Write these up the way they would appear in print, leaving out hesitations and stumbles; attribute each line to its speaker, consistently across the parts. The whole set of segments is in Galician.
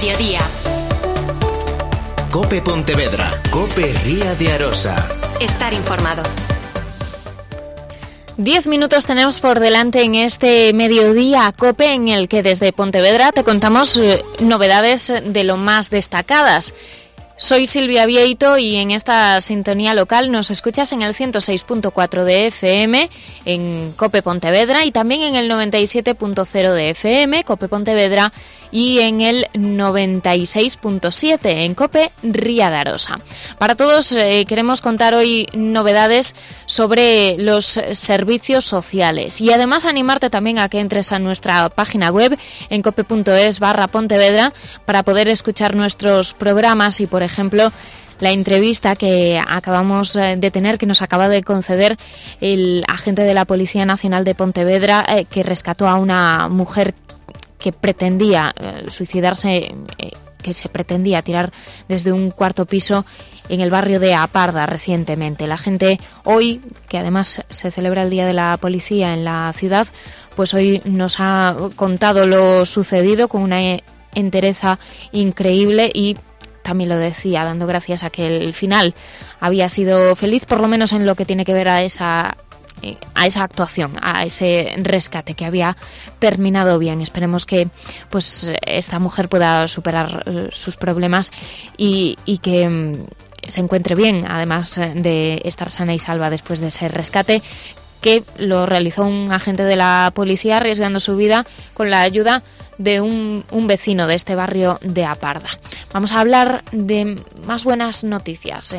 Speaker 1: mediodía.
Speaker 2: COPE Pontevedra, COPE Ría de Arosa.
Speaker 1: Estar informado.
Speaker 3: 10 minutos tenemos por delante en este mediodía COPE, en el que desde Pontevedra te contamos novedades de lo más destacadas. Soy Silvia Vieito y en esta sintonía local nos escuchas en el 106.4 de FM en COPE Pontevedra y también en el 97.0 de FM, COPE Pontevedra, y en el 96.7 en COPE Ría de Arosa. Para todos queremos contar hoy novedades sobre los servicios sociales y además animarte también a que entres a nuestra página web en cope.es/Pontevedra para poder escuchar nuestros programas y, por ejemplo, la entrevista que acabamos de tener, que nos acaba de conceder el agente de la Policía Nacional de Pontevedra, que rescató a una mujer que pretendía suicidarse, que se pretendía tirar desde un cuarto piso en el barrio de Aparda recientemente. La gente hoy, que además se celebra el Día de la Policía en la ciudad, pues hoy nos ha contado lo sucedido con una entereza increíble y también lo decía, dando gracias a que el final había sido feliz, por lo menos en lo que tiene que ver a esa actuación, a ese rescate que había terminado bien. Esperemos que pues esta mujer pueda superar sus problemas y que se encuentre bien, además de estar sana y salva después de ese rescate, que lo realizó un agente de la policía arriesgando su vida con la ayuda de un vecino de este barrio de Aparda. Vamos a hablar de más buenas noticias.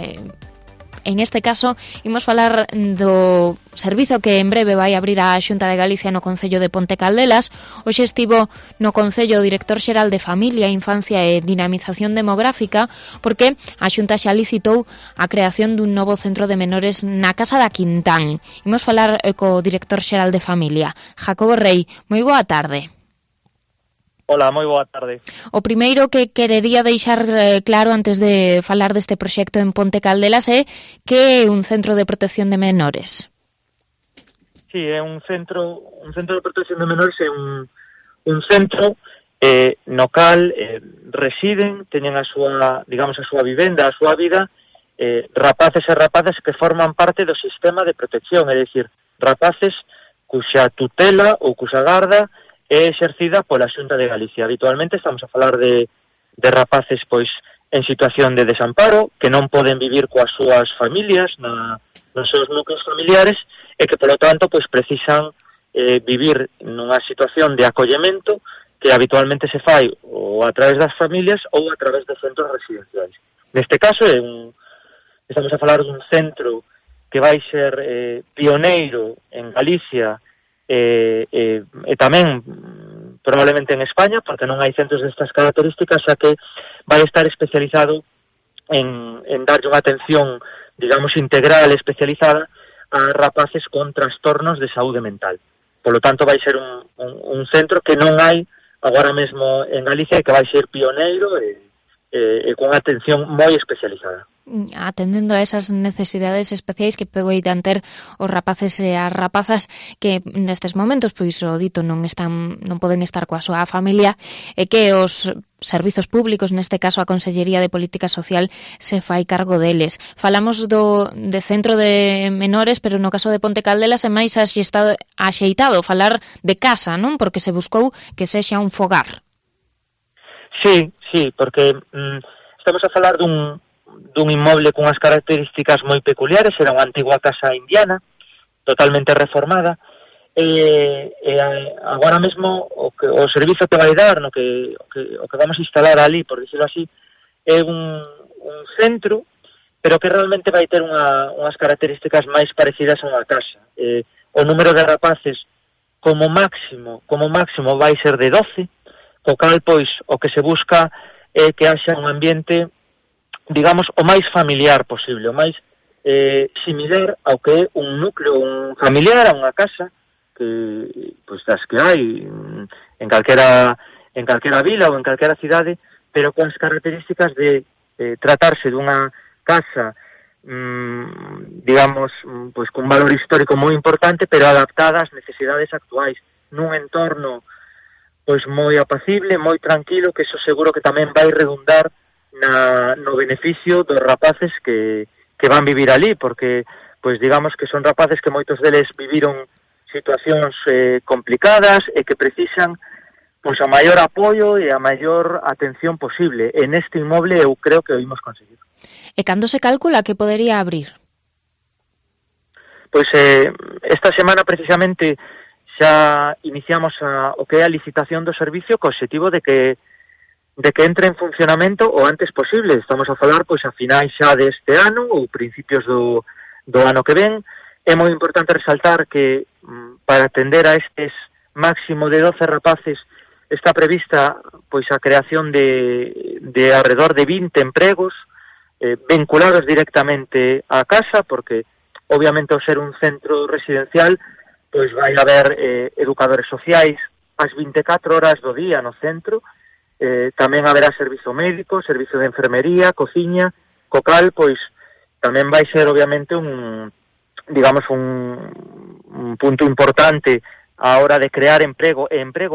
Speaker 3: En este caso, imos falar do servizo que en breve vai abrir a Xunta de Galicia no Concello de Ponte Caldelas. Hoxe estivo no Concello o director xeral de Familia, Infancia e Dinamización Demográfica, porque a Xunta xa licitou a creación dun novo centro de menores na Casa da Quintán. Imos falar co director xeral de Familia, Jacobo Rei. Moi boa tarde.
Speaker 4: Hola, moi boa tarde.
Speaker 3: O primeiro que querería deixar claro antes de falar deste proxecto en Ponte Caldelas é que é un centro de protección de menores.
Speaker 4: Sí, é un centro de protección de menores, é un centro no cal residen, teñen a súa, digamos, a súa vivenda, a súa vida, rapaces e rapazas que forman parte do sistema de protección, é dicir, rapaces cuxa tutela ou cuxa garda é exercida pola Xunta de Galicia. Habitualmente estamos a falar de rapaces pois en situación de desamparo, que non poden vivir coas súas familias nos seus núcleos familiares e que, polo tanto, pois precisan vivir nunha situación de acollemento que habitualmente se fai ou a través das familias ou a través de centros residenciais. Neste caso, estamos a falar dun centro que vai ser pioneiro en Galicia e tamén probablemente en España, porque non hai centros destas características, xa que vai estar especializado en darlle unha atención, digamos, integral, especializada a rapaces con trastornos de saúde mental. Por lo tanto, vai ser un centro que non hai agora mesmo en Galicia e que vai ser pioneiro e con atención moi especializada.
Speaker 3: Atendendo a esas necesidades especiais que poidan ter os rapaces e as rapazas que nestes momentos, pois o dito, non poden estar coa súa familia, e que os servizos públicos, neste caso a Consellería de Política Social, se fai cargo deles. Falamos de centro de menores, pero no caso de Ponte Caldelas é máis axeitado falar de casa, non? Porque se buscou que sexa un fogar.
Speaker 4: Sí, porque estamos a falar dun inmoble con unhas características moi peculiares. Era unha antigua casa indiana, totalmente reformada, e agora mesmo o servizo que vai dar, o que vamos a instalar ali, por dicirlo así, é un centro, pero que realmente vai ter unhas características máis parecidas a unha casa. O número de rapaces como máximo vai ser de 12, co cal, pois, o que se busca é que haxa un ambiente, digamos, o máis familiar posible, o máis similar ao que é un núcleo familiar, a unha casa que, pois, das que hai en calquera vila ou en calquera cidade, pero con as características de tratarse dunha casa, digamos, pois con valor histórico moi importante, pero adaptada ás necesidades actuais, nun entorno pois moi apacible, moi tranquilo, que eso seguro que tamén vai redundar no beneficio dos rapaces que van vivir ali, porque pois digamos que son rapaces que moitos deles viviron situacións complicadas e que precisan pois a maior apoio e a maior atención posible. En este inmoble eu creo que o imos conseguir.
Speaker 3: E cando se calcula que podería abrir?
Speaker 4: Pois esta semana precisamente xa iniciamos o que é a licitación do servicio co obxectivo de que entre en funcionamento o antes posible. Estamos a falar pois a finais xa deste ano ou principios do ano que ven. É moi importante resaltar que para atender a estes máximo de 12 rapaces está prevista pois a creación de alrededor de 20 empregos vinculados directamente á casa, porque obviamente ao ser un centro residencial pois vai haber educadores sociais as 24 horas do día no centro, tamén haberá servizo médico, servizo de enfermería, cociña, co cal pois tamén vai ser obviamente un punto importante a hora de crear emprego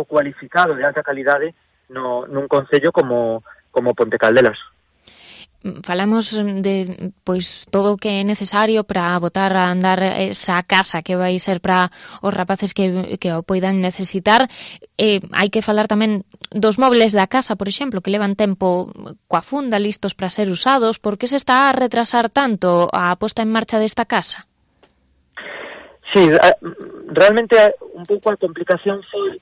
Speaker 4: cualificado de alta calidade nun concello como Pontecaldelas.
Speaker 3: Falamos de pois todo o que é necesario para botar a andar esa casa que vai ser para os rapaces que o poidan necesitar. Hai que falar tamén dos mobles da casa, por exemplo, que levan tempo coa funda listos para ser usados. Por que se está a retrasar tanto a posta en marcha desta casa?
Speaker 4: Sí, realmente un pouco a complicación foi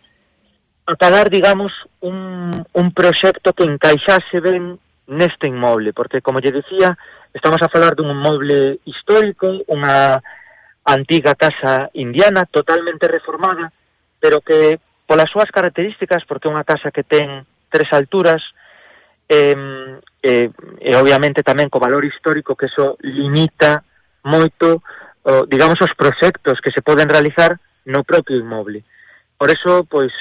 Speaker 4: acabar, digamos, un proxecto que encaixase ben neste inmoble, porque, como lle dicía, estamos a falar dun inmoble histórico, unha antiga casa indiana, totalmente reformada, pero que, polas súas características, porque é unha casa que ten 3 alturas, e obviamente tamén co valor histórico, que eso limita moito digamos, os proxectos que se poden realizar no propio inmoble. Por eso, pois,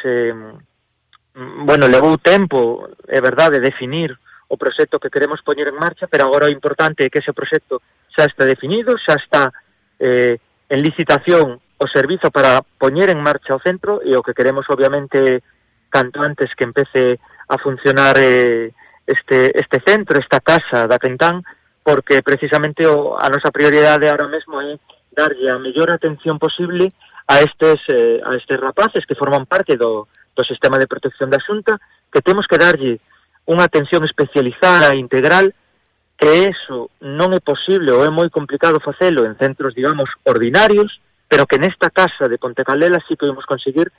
Speaker 4: levou tempo, é verdade, definir o proxecto que queremos poñer en marcha, pero agora o importante é que ese proxecto xa está definido, xa está en licitación o servizo para poñer en marcha o centro, e o que queremos, obviamente, canto antes que empece a funcionar este centro, esta casa da Quentán, porque precisamente a nosa prioridade ahora mesmo é darlle a mellor atención posible a estes rapaces que forman parte do sistema de protección da Xunta, que temos que darlle unha atención especializada e integral, que eso non é posible ou é moi complicado facelo en centros, digamos, ordinarios, pero que nesta casa de Pontecaldelas sí que podemos conseguir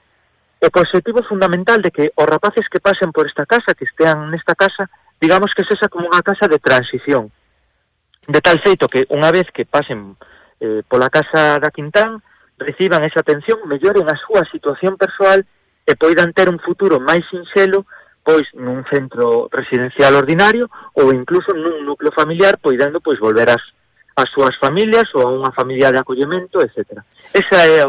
Speaker 4: o objetivo fundamental de que os rapaces que pasen por esta casa, que estean nesta casa, digamos que sexa como unha casa de transición, de tal feito que unha vez que pasen pola casa da Quintán, reciban esa atención, melloren a súa situación persoal e poidan ter un futuro máis sinxelo, pois nun centro residencial ordinario ou incluso nun núcleo familiar, poidendo pois volver ás súas familias ou a unha familia de acollemento, etc. Ese é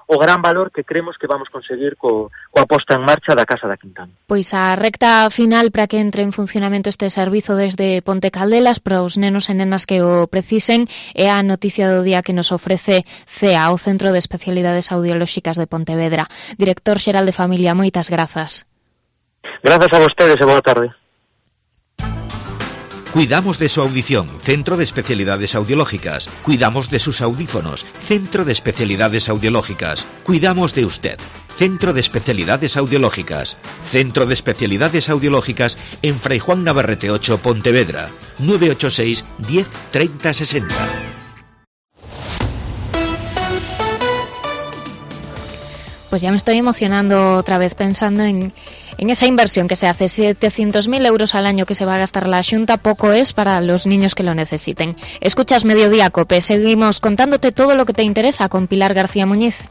Speaker 4: o gran valor que creemos que vamos conseguir coa posta en marcha da Casa da Quintán.
Speaker 3: Pois a recta final para que entre en funcionamento este servizo desde Pontecaldelas para os nenos e nenas que o precisen é a noticia do día que nos ofrece CEA, o Centro de Especialidades Audiolóxicas de Pontevedra. Director xeral de Familia, moitas grazas.
Speaker 4: Grazas a vostedes e boa tarde.
Speaker 2: Cuidamos de su audición, Centro de Especialidades Audiológicas. Cuidamos de sus audífonos, Centro de Especialidades Audiológicas. Cuidamos de usted, Centro de Especialidades Audiológicas. Centro de Especialidades Audiológicas en Fray Juan Navarrete 8, Pontevedra. 986 10 30 60.
Speaker 3: Pues ya me estoy emocionando otra vez pensando en esa inversión que se hace. 700.000 euros al año que se va a gastar la Xunta, poco es para los niños que lo necesiten. Escuchas Mediodía Cope, seguimos contándote todo lo que te interesa con Pilar García Muñiz.